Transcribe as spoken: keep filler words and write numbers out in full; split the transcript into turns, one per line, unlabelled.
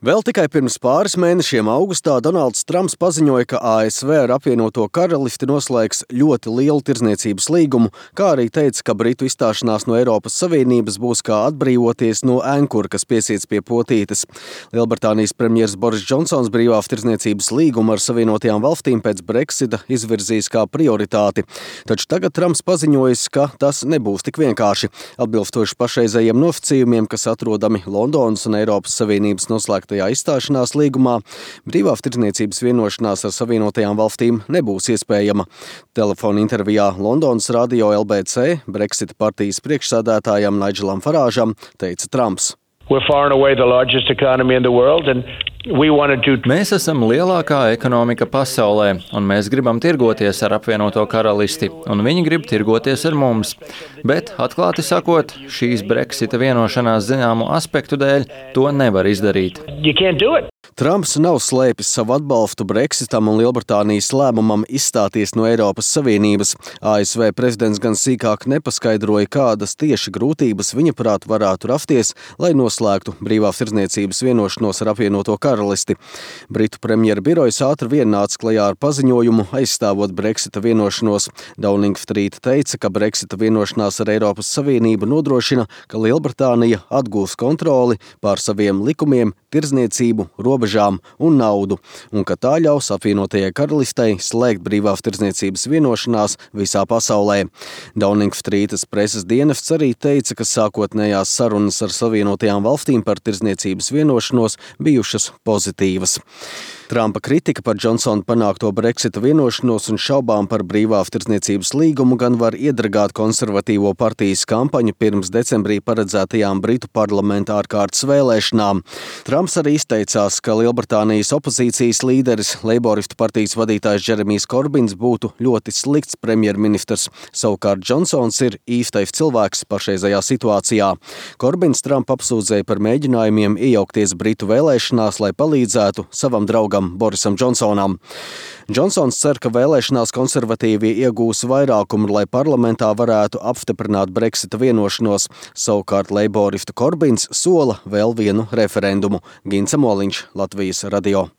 Vēl tikai pirms pāris mēnešiem augustā Donalds Trumps paziņoja, ka A S V ar apvienoto karalisti noslēgs ļoti lielu tirdzniecības līgumu, kā arī teica, ka Britu izstāšanās no Eiropas Savienības būs kā atbrīvoties no ēnkura, kas piesiets pie potītes. Lielbritānijas premjers Boris Džonsons brīvās tirdzniecības līgumu ar Savienotajām valstīm pēc Brexita izvirzīs kā prioritāti. Taču tagad Trumps paziņojis, ka tas nebūs tik vienkārši. Atbilstoši pašreizējiem nosacījumiem, kas atrodami Londonas un Eiropas Savienības noslēgtajā izstāšanās līgumā, brīvās tirdzniecības vienošanās ar Savienotajām valstīm nebūs iespējama. Telefona intervijā Londonas radio L B C Brexita partijas priekšsēdētājam Nigelam Farāžam teica Trumps.
We're far and away the largest economy in the world, and we want to do...
Mēs esam lielākā ekonomika pasaulē, un mēs gribam tirgoties ar apvienoto karalisti, un viņi grib tirgoties ar mums. Bet, atklāti sakot, šīs Brexita vienošanās zināmu aspektu dēļ to nevar izdarīt.
You can't do it.
Trumps nav slēpis savu atbalstu Brexitam un Lielbritānijas lēmumam izstāties no Eiropas Savienības. A S V prezidents gan sīkāk nepaskaidroja, kādas tieši grūtības viņa prāt varētu rasties, lai noslēgtu brīvās tirdzniecības vienošanos ar apvienoto karalisti. Britu premjera birojas ātri vien nāca klajā ar paziņojumu, aizstāvot Brexita vienošanos. Downing Street teica, ka Brexita vienošanās ar Eiropas Savienību nodrošina, ka Lielbritānija atgūs kontroli pār saviem likumiem, tirdzniecību, robežām un naudu, un ka tā ļaus apvienotajai karalistei slēgt brīvās tirdzniecības vienošanās visā pasaulē. Downing Streetas preses dienests arī teica, ka sākotnējās sarunas ar Savienotajām valstīm par tirdzniecības vienošanos bijušas pozitīvas. Trumpa kritika par Džonsona panākto Brexita vienošanos un šaubām par brīvās tirdzniecības līgumu gan var iedragāt konservatīvo partijas kampaņu pirms decembrī paredzētajām Britu parlamenta ārkārtas vēlēšanām. Trumps arī izteicās, ka Lielbritānijas opozīcijas līderis, Leiboristu partijas vadītājs Džeremijs Korbins būtu ļoti slikts premjerministrs. Savukārt Džonsons ir īstais cilvēks pašreizējā situācijā. Korbins Trumpu apsūdzēja par mēģinājumiem iejaukties Britu vēlēšanās, lai palīdzētu savam draugam Borisam Džonsonam. Džonsons cer, ka vēlēšanās konservatīvie iegūs vairākumu, lai parlamentā varētu apstiprināt Brexita vienošanos. Savukārt Leiboristu Korbins sola vēl vienu referendumu. Gints Moliņš, Latvijas radio.